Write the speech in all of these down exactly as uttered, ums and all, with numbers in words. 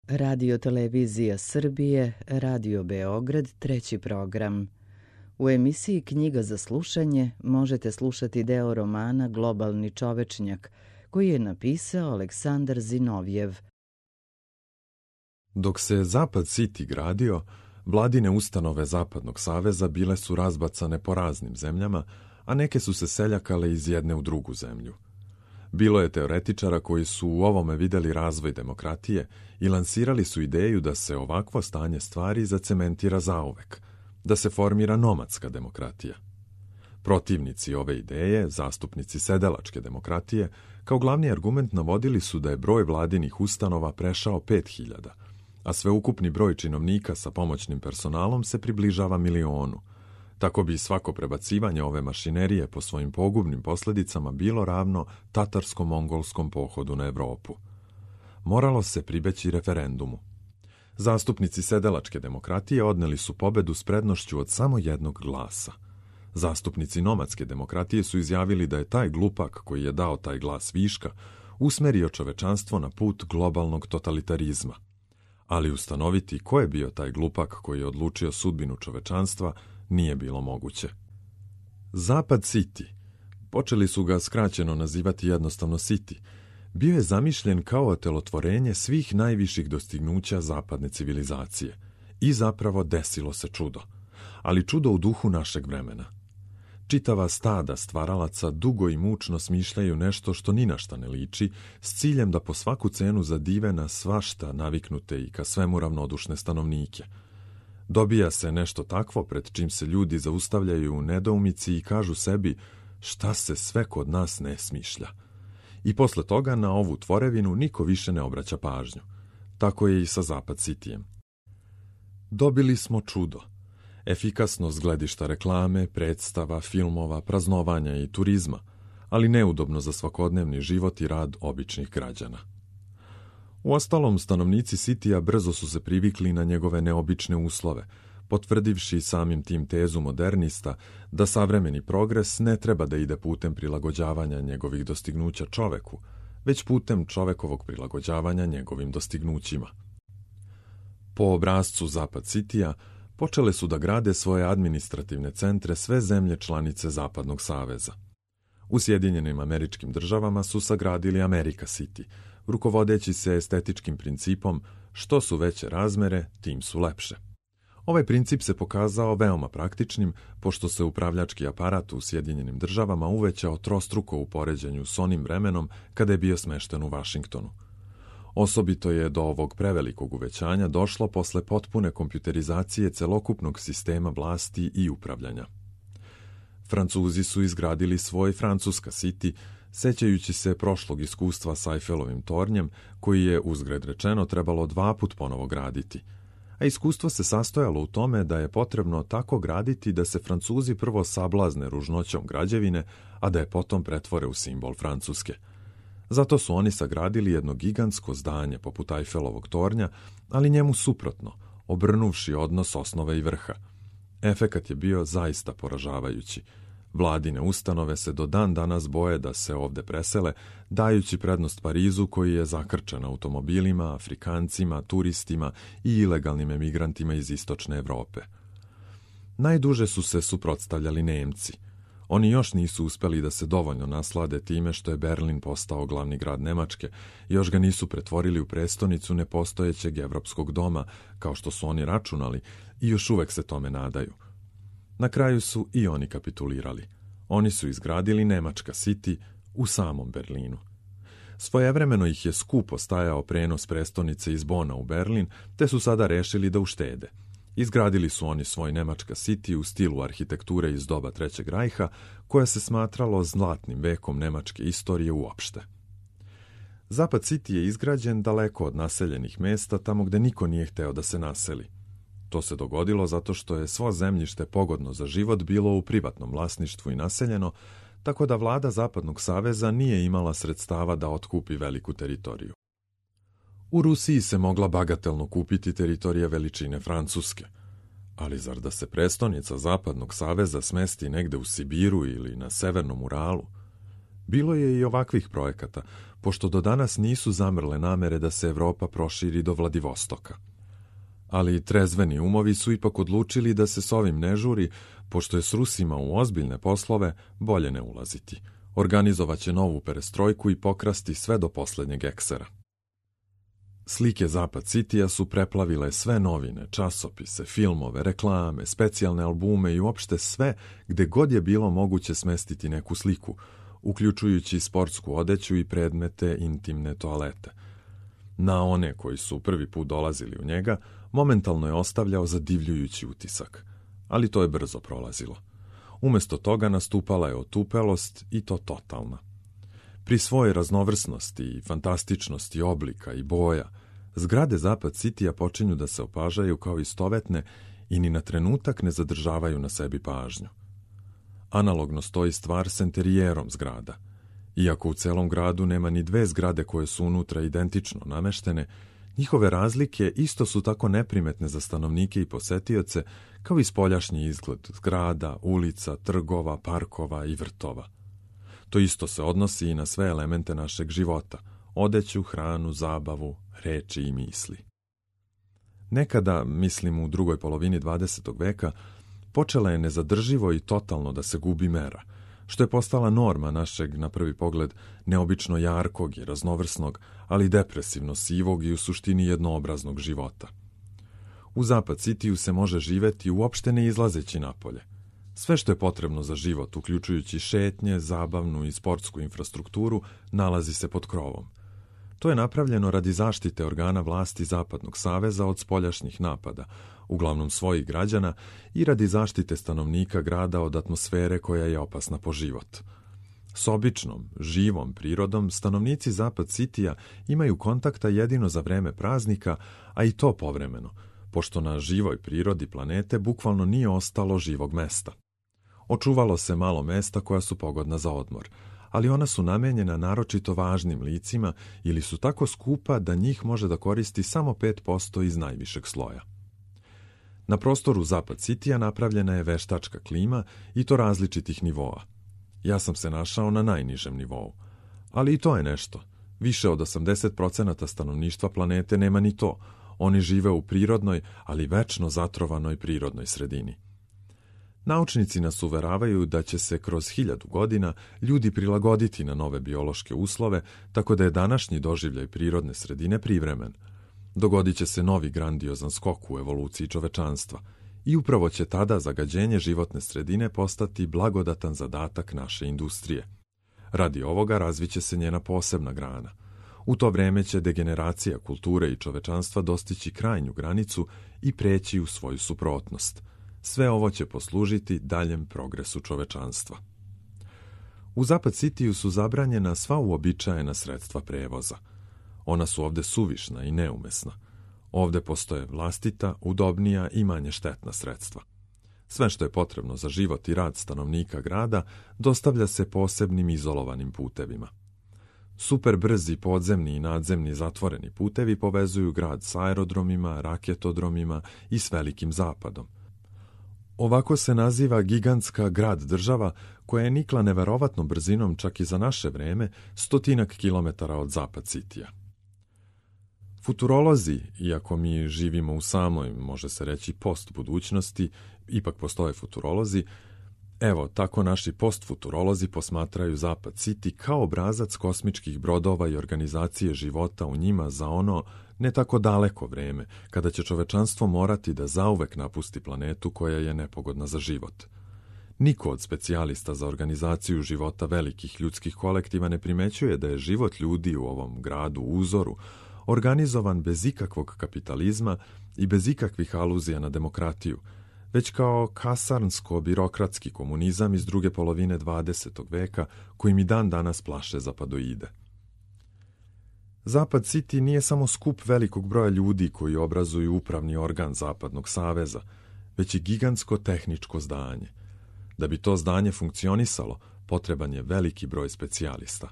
Radio Televizija Srbije, Radio Beograd, treći program. U emisiji Knjiga za slušanje možete slušati deo romana Globalni čovečnjak, koji je napisao Aleksandar Zinovjev. Dok se Zapad City gradio, vladine ustanove Zapadnog saveza bile su razbacane po raznim zemljama, a neke su se seljakale iz jedne u drugu zemlju. Bilo je teoretičara koji su u ovome videli razvoj demokratije i lansirali su ideju da se ovakvo stanje stvari zacementira zauvek, da se formira nomadska demokratija. Protivnici ove ideje, zastupnici sedelačke demokratije, kao glavni argument navodili su da je broj vladinih ustanova prešao pet hiljada, a sveukupni broj činovnika sa pomoćnim personalom se približava milionu. Tako bi svako prebacivanje ove mašinerije po svojim pogubnim posljedicama bilo ravno tatarsko-mongolskom pohodu na Evropu. Moralo se pribeći referendumu. Zastupnici sedelačke demokratije odneli su pobedu s prednošću od samo jednog glasa. Zastupnici nomadske demokratije su izjavili da je taj glupak koji je dao taj glas viška usmerio čovečanstvo na put globalnog totalitarizma. Ali ustanoviti ko je bio taj glupak koji je odlučio sudbinu čovečanstva nije bilo moguće. Zapad City, počeli su ga skraćeno nazivati jednostavno City, bio je zamišljen kao otelotvorenje svih najviših dostignuća zapadne civilizacije. I zapravo desilo se čudo. Ali čudo u duhu našeg vremena. Čitava stada stvaralaca dugo i mučno smišljaju nešto što ni na šta ne liči, s ciljem da po svaku cenu zadive na svašta naviknute i ka svemu ravnodušne stanovnike. Dobija se nešto takvo pred čim se ljudi zaustavljaju u nedoumici i kažu sebi šta se sve kod nas ne smišlja. I posle toga na ovu tvorevinu niko više ne obraća pažnju. Tako je i sa Zapad Cityjem. Dobili smo čudo. Efikasnost gledišta reklame, predstava, filmova, praznovanja i turizma, ali neudobno za svakodnevni život i rad običnih građana. Uostalom, stanovnici Citya brzo su se privikli na njegove neobične uslove, potvrdivši samim tim tezu modernista da savremeni progres ne treba da ide putem prilagođavanja njegovih dostignuća čoveku, već putem čovekovog prilagođavanja njegovim dostignućima. Po obrazcu Zapad Citya počele su da grade svoje administrativne centre sve zemlje članice Zapadnog saveza. U Sjedinjenim Američkim Državama su sagradili America City, rukovodeći se estetičkim principom što su veće razmere, tim su lepše. Ovaj princip se pokazao veoma praktičnim, pošto se upravljački aparat u Sjedinjenim Državama uvećao trostruko u poređenju s onim vremenom kada je bio smešten u Vašingtonu. Osobito je do ovog prevelikog uvećanja došlo posle potpune kompjuterizacije celokupnog sistema vlasti i upravljanja. Francuzi su izgradili svoj Francuska City, sećajući se prošlog iskustva sa Eiffelovim tornjem, koji je, uzgred rečeno, trebalo dva put ponovo graditi. A iskustvo se sastojalo u tome da je potrebno tako graditi da se Francuzi prvo sablazne ružnoćom građevine, a da je potom pretvore u simbol Francuske. Zato su oni sagradili jedno gigantsko zdanje poput Eiffelovog tornja, ali njemu suprotno, obrnuvši odnos osnove i vrha. Efekat je bio zaista poražavajući. Vladine ustanove se do dan danas boje da se ovde presele, dajući prednost Parizu koji je zakrčen automobilima, Afrikancima, turistima i ilegalnim emigrantima iz istočne Evrope. Najduže su se suprotstavljali Nemci. Oni još nisu uspeli da se dovoljno naslade time što je Berlin postao glavni grad Nemačke, još ga nisu pretvorili u prestonicu nepostojećeg evropskog doma, kao što su oni računali, i još uvek se tome nadaju. Na kraju su i oni kapitulirali. Oni su izgradili Nemačka City u samom Berlinu. Svojevremeno ih je skupo stajao prenos prestonice iz Bona u Berlin, te su sada rešili da uštede. Izgradili su oni svoj Nemačka City u stilu arhitekture iz doba Trećeg rajha, koja se smatralo zlatnim vekom nemačke istorije uopšte. Zapad City je izgrađen daleko od naseljenih mesta, tamo gde niko nije hteo da se naseli. To se dogodilo zato što je svo zemljište pogodno za život bilo u privatnom vlasništvu i naseljeno, tako da vlada Zapadnog saveza nije imala sredstava da otkupi veliku teritoriju. U Rusiji se mogla bagatelno kupiti teritorija veličine Francuske, ali zar da se prestonica Zapadnog saveza smesti negde u Sibiru ili na Severnom Uralu? Bilo je i ovakvih projekata, pošto do danas nisu zamrle namere da se Evropa proširi do Vladivostoka. Ali trezveni umovi su ipak odlučili da se s ovim ne žuri, pošto je s Rusima u ozbiljne poslove bolje ne ulaziti. Organizovaće novu perestrojku i pokrasti sve do posljednjeg eksera. Slike Zapad Citya su preplavile sve novine, časopise, filmove, reklame, specijalne albume i uopšte sve gde god je bilo moguće smestiti neku sliku, uključujući sportsku odeću i predmete intimne toalete. Na one koji su prvi put dolazili u njega, momentalno je ostavljao zadivljujući utisak, ali to je brzo prolazilo. Umjesto toga nastupala je otupelost i to totalna. Pri svojoj raznovrsnosti i fantastičnosti oblika i boja, zgrade Zapad Citya počinju da se opažaju kao istovetne i ni na trenutak ne zadržavaju na sebi pažnju. Analogno stoji stvar s enterijerom zgrada. Iako u celom gradu nema ni dve zgrade koje su unutra identično nameštene, njihove razlike isto su tako neprimetne za stanovnike i posetioce kao i spoljašnji izgled zgrada, ulica, trgova, parkova i vrtova. To isto se odnosi i na sve elemente našeg života, odeću, hranu, zabavu, reči i misli. Nekada, mislim u drugoj polovini dvadesetog veka, počela je nezadrživo i totalno da se gubi mera, što je postala norma našeg, na prvi pogled, neobično jarkog i raznovrsnog, ali depresivno sivog i u suštini jednoobraznog života. U Zapad Cityu se može živeti uopšte ne izlazeći napolje. Sve što je potrebno za život, uključujući šetnje, zabavnu i sportsku infrastrukturu, nalazi se pod krovom. To je napravljeno radi zaštite organa vlasti Zapadnog saveza od spoljašnjih napada, uglavnom svojih građana, i radi zaštite stanovnika grada od atmosfere koja je opasna po život. S običnom, živom prirodom stanovnici Zapad Citya imaju kontakta jedino za vreme praznika, a i to povremeno, pošto na živoj prirodi planete bukvalno nije ostalo živog mesta. Očuvalo se malo mesta koja su pogodna za odmor, ali ona su namenjena naročito važnim licima ili su tako skupa da njih može da koristi samo pet posto iz najvišeg sloja. Na prostoru Zapad Citya napravljena je veštačka klima i to različitih nivoa. Ja sam se našao na najnižem nivou. Ali i to je nešto. Više od osamdeset posto stanovništva planete nema ni to. Oni žive u prirodnoj, ali večno zatrovanoj prirodnoj sredini. Naučnici nas uveravaju da će se kroz hiljadu godina ljudi prilagoditi na nove biološke uslove, tako da je današnji doživljaj prirodne sredine privremen. Dogodit će se novi grandiozan skok u evoluciji čovečanstva i upravo će tada zagađenje životne sredine postati blagodatan zadatak naše industrije. Radi ovoga razviće se njena posebna grana. U to vreme će degeneracija kulture i čovečanstva dostići krajnju granicu i preći u svoju suprotnost. Sve ovo će poslužiti daljem progresu čovečanstva. U Zapad Cityu su zabranjena sva uobičajena sredstva prevoza. Ona su ovde suvišna i neumesna. Ovde postoje vlastita, udobnija i manje štetna sredstva. Sve što je potrebno za život i rad stanovnika grada dostavlja se posebnim izolovanim putevima. Super brzi podzemni i nadzemni zatvoreni putevi povezuju grad s aerodromima, raketodromima i s Velikim zapadom. Ovako se naziva gigantska grad-država koja je nikla neverovatnom brzinom čak i za naše vreme stotinak kilometara od Zapad Citya. Futurolozi, iako mi živimo u samoj, može se reći, post-budućnosti, ipak postoje futurolozi, evo, tako naši post-futurolozi posmatraju Zapad City kao obrazac kosmičkih brodova i organizacije života u njima za ono ne tako daleko vreme, kada će čovečanstvo morati da zauvek napusti planetu koja je nepogodna za život. Niko od specijalista za organizaciju života velikih ljudskih kolektiva ne primećuje da je život ljudi u ovom gradu uzoru organizovan bez ikakvog kapitalizma i bez ikakvih aluzija na demokratiju, već kao kasarnsko-birokratski komunizam iz druge polovine dvadesetog veka koji mi dan danas plaše zapadoide. Zapad City nije samo skup velikog broja ljudi koji obrazuju upravni organ Zapadnog saveza, već i gigantsko tehničko zdanje. Da bi to zdanje funkcionisalo, potreban je veliki broj specijalista.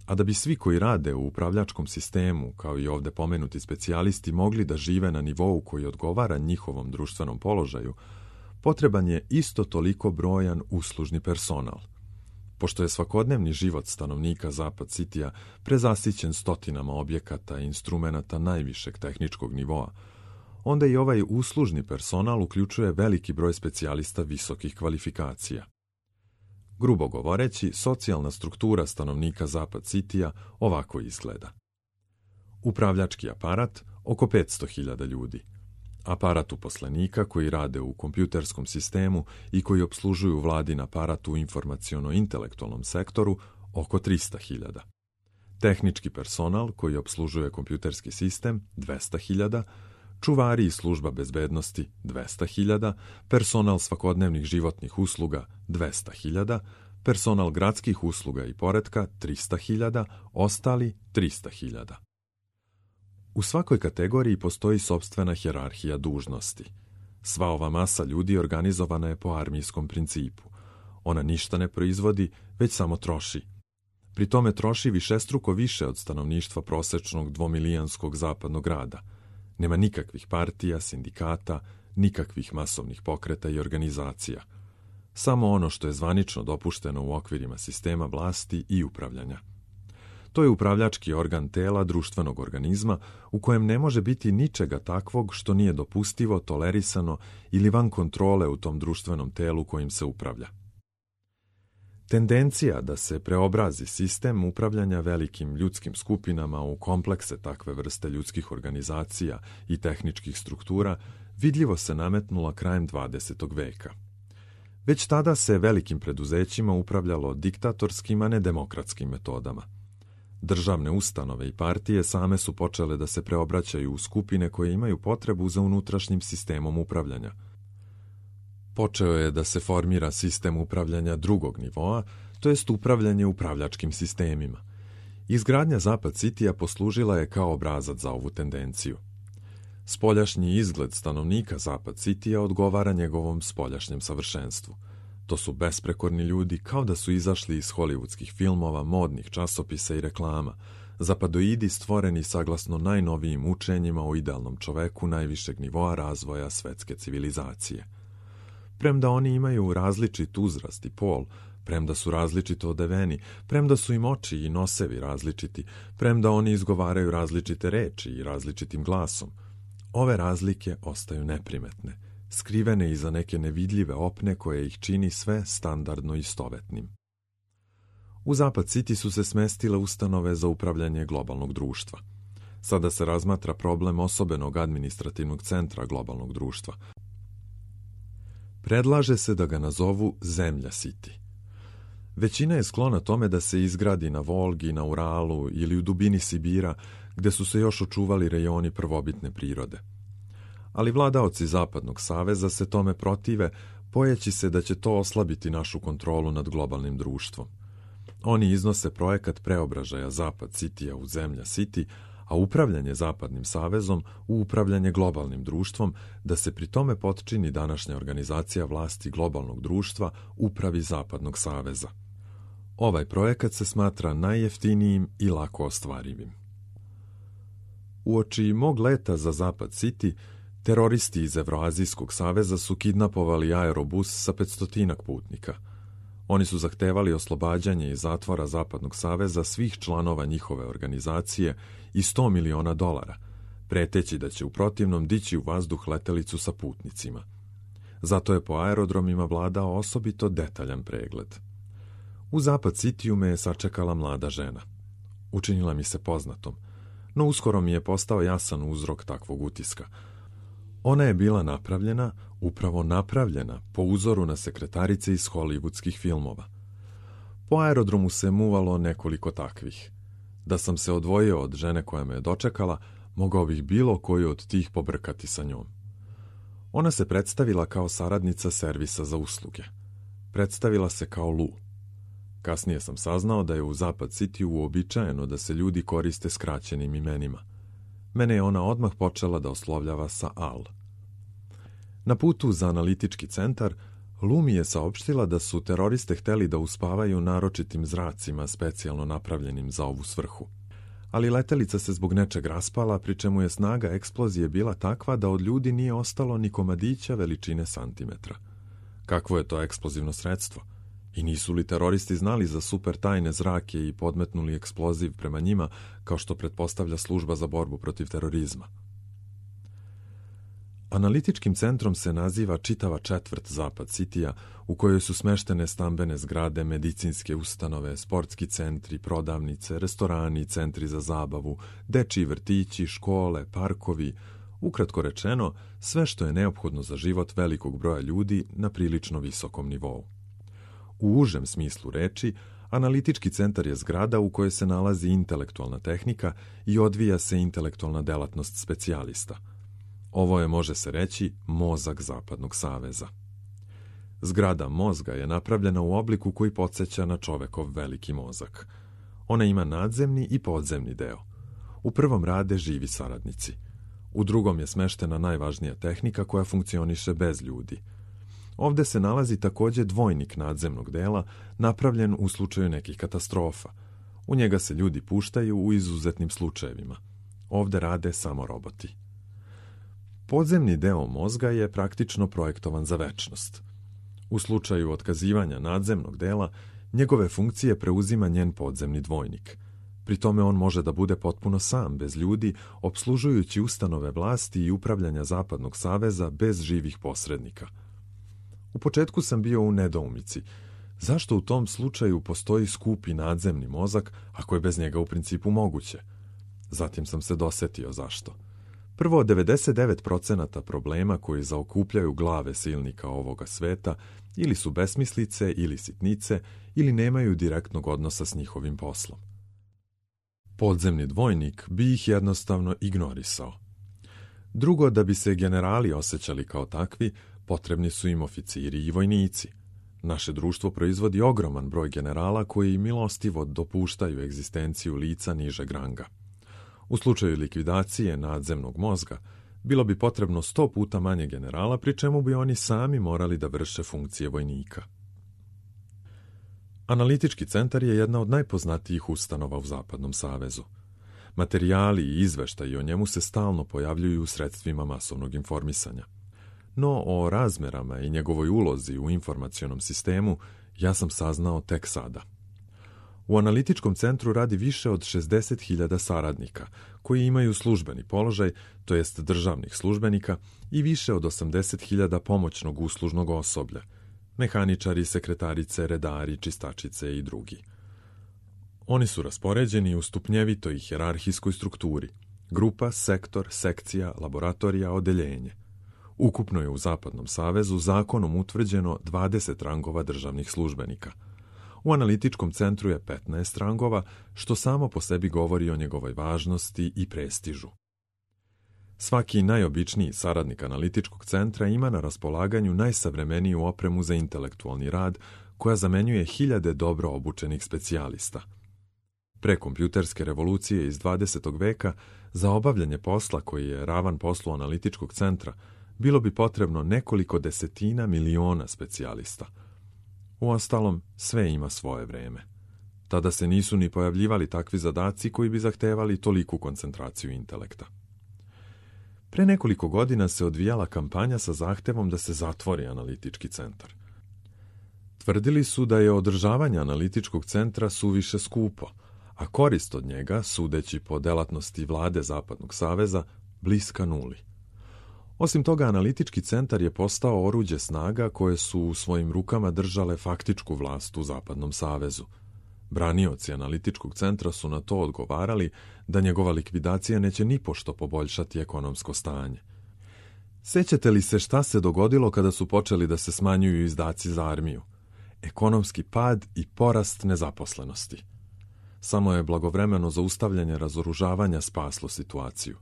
A da bi svi koji rade u upravljačkom sistemu, kao i ovde pomenuti specijalisti, mogli da žive na nivou koji odgovara njihovom društvenom položaju, potreban je isto toliko brojan uslužni personal. Pošto je svakodnevni život stanovnika Zapad Citya prezasićen stotinama objekata i instrumenata najvišeg tehničkog nivoa, onda i ovaj uslužni personal uključuje veliki broj specijalista visokih kvalifikacija. Grubo govoreći, socijalna struktura stanovnika Zapad Citya ovako izgleda. Upravljački aparat oko petsto hiljada ljudi. Aparat uposlenika koji rade u kompjuterskom sistemu i koji obslužuju vladin aparat u informaciono-intelektualnom sektoru oko trista hiljada. Tehnički personal koji obslužuje kompjuterski sistem dvesta hiljada, čuvari i služba bezbednosti dvesta hiljada, personal svakodnevnih životnih usluga dvesta hiljada, personal gradskih usluga i poretka trista hiljada, ostali trista hiljada. U svakoj kategoriji postoji sopstvena hijerarhija dužnosti. Sva ova masa ljudi organizovana je po armijskom principu. Ona ništa ne proizvodi, već samo troši. Pri tome troši višestruko više od stanovništva prosečnog dvomilijanskog zapadnog grada. Nema nikakvih partija, sindikata, nikakvih masovnih pokreta i organizacija. Samo ono što je zvanično dopušteno u okvirima sistema vlasti i upravljanja. To je upravljački organ tela društvenog organizma u kojem ne može biti ničega takvog što nije dopustivo, tolerisano ili van kontrole u tom društvenom telu kojim se upravlja. Tendencija da se preobrazi sistem upravljanja velikim ljudskim skupinama u komplekse takve vrste ljudskih organizacija i tehničkih struktura vidljivo se nametnula krajem dvadesetog veka. Već tada se velikim preduzećima upravljalo diktatorskim, a ne demokratskim metodama. Državne ustanove i partije same su počele da se preobraćaju u skupine koje imaju potrebu za unutrašnjim sistemom upravljanja. Počeo je da se formira sistem upravljanja drugog nivoa, to jest upravljanje upravljačkim sistemima. Izgradnja Zapad Citya poslužila je kao obrazac za ovu tendenciju. Spoljašnji izgled stanovnika Zapad Citya odgovara njegovom spoljašnjem savršenstvu. To su besprekorni ljudi kao da su izašli iz hollywoodskih filmova, modnih časopisa i reklama, zapadoidi stvoreni saglasno najnovijim učenjima o idealnom čoveku najvišeg nivoa razvoja svetske civilizacije. Premda oni imaju različit uzrast i pol, premda su različito odeveni, premda su im oči i nosevi različiti, premda oni izgovaraju različite reči i različitim glasom, ove razlike ostaju neprimetne, skrivene iza neke nevidljive opne koje ih čini sve standardno istovetnim. U Zapad City su se smestile ustanove za upravljanje globalnog društva. Sada se razmatra problem osobenog administrativnog centra globalnog društva. Predlaže se da ga nazovu Zemlja City. Većina je sklona tome da se izgradi na Volgi, na Uralu ili u dubini Sibira, gde su se još očuvali rejoni prvobitne prirode. Ali vladaoci Zapadnog saveza se tome protive, bojeći se da će to oslabiti našu kontrolu nad globalnim društvom. Oni iznose projekat preobražaja Zapad Citya u Zemlja City, a upravljanje Zapadnim savezom u upravljanje globalnim društvom, da se pri tome potčini današnja organizacija vlasti globalnog društva upravi Zapadnog saveza. Ovaj projekat se smatra najjeftinijim i lako ostvarivim. Uoči mog leta za Zapad City, teroristi iz Evroazijskog saveza su kidnapovali aerobus sa petstotinak putnika. Oni su zahtevali oslobađanje iz zatvora Zapadnog saveza svih članova njihove organizacije i sto miliona dolara, preteći da će u protivnom dići u vazduh letelicu sa putnicima. Zato je po aerodromima vladao osobito detaljan pregled. U Zapad Cityu me je sačekala mlada žena. Učinila mi se poznatom, no uskoro mi je postao jasan uzrok takvog utiska. Ona je bila napravljena, upravo napravljena, po uzoru na sekretarice iz hollywoodskih filmova. Po aerodromu se muvalo nekoliko takvih. Da sam se odvojio od žene koja me je dočekala, mogao bih bilo koju od tih pobrkati sa njom. Ona se predstavila kao saradnica servisa za usluge. Predstavila se kao Lu. Kasnije sam saznao da je u Zapad City uobičajeno da se ljudi koriste skraćenim imenima. Mene je ona odmah počela da oslovljava sa Al. Na putu za analitički centar, Lu mi je saopštila da su teroriste hteli da uspavaju naročitim zracima specijalno napravljenim za ovu svrhu. Ali letelica se zbog nečeg raspala, pri čemu je snaga eksplozije bila takva da od ljudi nije ostalo ni komadića veličine santimetra. Kakvo je to eksplozivno sredstvo? I nisu li teroristi znali za super tajne zrake i podmetnuli eksploziv prema njima, kao što pretpostavlja služba za borbu protiv terorizma? Analitičkim centrom se naziva čitava četvrt Zapad Citya, u kojoj su smeštene stambene zgrade, medicinske ustanove, sportski centri, prodavnice, restorani, centri za zabavu, dečiji vrtići, škole, parkovi, ukratko rečeno, sve što je neophodno za život velikog broja ljudi na prilično visokom nivou. U užem smislu reči, analitički centar je zgrada u kojoj se nalazi intelektualna tehnika i odvija se intelektualna delatnost specijalista. Ovo je, može se reći, mozak Zapadnog saveza. Zgrada mozga je napravljena u obliku koji podsjeća na čovekov veliki mozak. Ona ima nadzemni i podzemni deo. U prvom rade živi saradnici. U drugom je smeštena najvažnija tehnika koja funkcioniše bez ljudi. Ovde se nalazi takođe dvojnik nadzemnog dela, napravljen u slučaju nekih katastrofa. U njega se ljudi puštaju u izuzetnim slučajevima. Ovde rade samo roboti. Podzemni deo mozga je praktično projektovan za večnost. U slučaju otkazivanja nadzemnog dela, njegove funkcije preuzima njen podzemni dvojnik. Pri tome on može da bude potpuno sam, bez ljudi, opslužujući ustanove vlasti i upravljanja Zapadnog saveza bez živih posrednika. U početku sam bio u nedoumici. Zašto u tom slučaju postoji skupi nadzemni mozak, ako je bez njega u principu moguće? Zatim sam se dosetio zašto. Prvo, devedeset devet procenata problema koji zaokupljaju glave silnika ovoga sveta ili su besmislice ili sitnice ili nemaju direktnog odnosa s njihovim poslom. Podzemni dvojnik bi ih jednostavno ignorisao. Drugo, da bi se generali osjećali kao takvi, potrebni su im oficiri i vojnici. Naše društvo proizvodi ogroman broj generala koji milostivo dopuštaju egzistenciju lica nižeg ranga. U slučaju likvidacije nadzemnog mozga, bilo bi potrebno sto puta manje generala, pri čemu bi oni sami morali da vrše funkcije vojnika. Analitički centar je jedna od najpoznatijih ustanova u Zapadnom savezu. Materijali i izveštaji o njemu se stalno pojavljuju u sredstvima masovnog informisanja. No o razmerama i njegovoj ulozi u informacionom sistemu ja sam saznao tek sada. U analitičkom centru radi više od šezdeset hiljada saradnika, koji imaju službeni položaj, to jest državnih službenika, i više od osamdeset hiljada pomoćnog uslužnog osoblja, mehaničari, sekretarice, redari, čistačice i drugi. Oni su raspoređeni u stupnjevitoj hijerarhijskoj strukturi: grupa, sektor, sekcija, laboratorija, odeljenje. Ukupno je u Zapadnom savezu zakonom utvrđeno dvadeset rangova državnih službenika. U analitičkom centru je petnaest rangova, što samo po sebi govori o njegovoj važnosti i prestižu. Svaki najobičniji saradnik analitičkog centra ima na raspolaganju najsavremeniju opremu za intelektualni rad, koja zamenjuje hiljade dobro obučenih specijalista. Pre kompjuterske revolucije iz dvadesetog veka, za obavljanje posla koji je ravan poslu analitičkog centra, bilo bi potrebno nekoliko desetina miliona specijalista. Uostalom, sve ima svoje vreme. Tada se nisu ni pojavljivali takvi zadaci koji bi zahtevali toliku koncentraciju intelekta. Pre nekoliko godina se odvijala kampanja sa zahtevom da se zatvori analitički centar. Tvrdili su da je održavanje analitičkog centra suviše skupo, a korist od njega, sudeći po delatnosti vlade Zapadnog saveza, bliska nuli. Osim toga, analitički centar je postao oruđe snaga koje su u svojim rukama držale faktičku vlast u Zapadnom savezu. Branioci analitičkog centra su na to odgovarali da njegova likvidacija neće nipošto poboljšati ekonomsko stanje. Sećate li se šta se dogodilo kada su počeli da se smanjuju izdaci za armiju? Ekonomski pad i porast nezaposlenosti. Samo je blagovremeno zaustavljanje razoružavanja spaslo situaciju.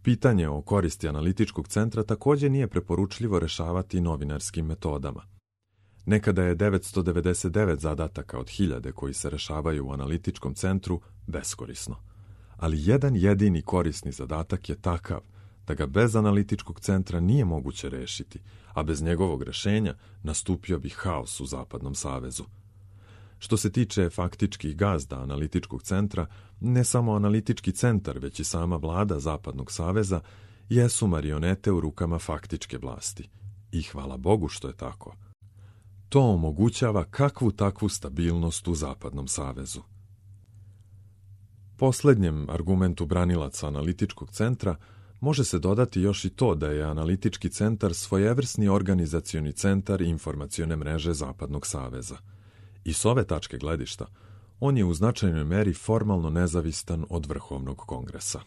Pitanje o koristi analitičkog centra također nije preporučljivo rešavati novinarskim metodama. Nekada je devetsto devedeset devet zadataka od hiljade koji se rešavaju u analitičkom centru beskorisno. Ali jedan jedini korisni zadatak je takav da ga bez analitičkog centra nije moguće rešiti, a bez njegovog rešenja nastupio bi haos u Zapadnom savezu. Što se tiče faktičkih gazda analitičkog centra, ne samo analitički centar, već i sama vlada Zapadnog saveza jesu marionete u rukama faktičke vlasti. I hvala Bogu što je tako. To omogućava kakvu takvu stabilnost u Zapadnom savezu. Posljednjem argumentu branilaca analitičkog centra može se dodati još i to da je analitički centar svojevrsni organizacioni centar informacione mreže Zapadnog saveza. I s ove tačke gledišta, on je u značajnoj meri formalno nezavistan od Vrhovnog kongresa.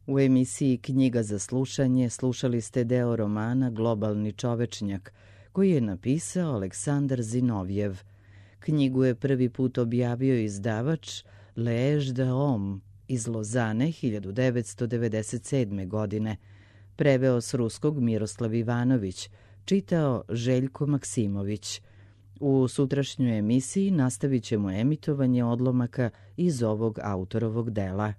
U emisiji Knjiga za slušanje slušali ste deo romana Globalni čovečnjak, koji je napisao Aleksandar Zinovjev. Knjigu je prvi put objavio izdavač L'Age de Homme iz Lozane hiljadu devetsto devedeset sedme. godine. Preveo s ruskog Miroslav Ivanović, čitao Željko Maksimović. U sutrašnjoj emisiji nastavit ćemo emitovanje odlomaka iz ovog autorovog dela.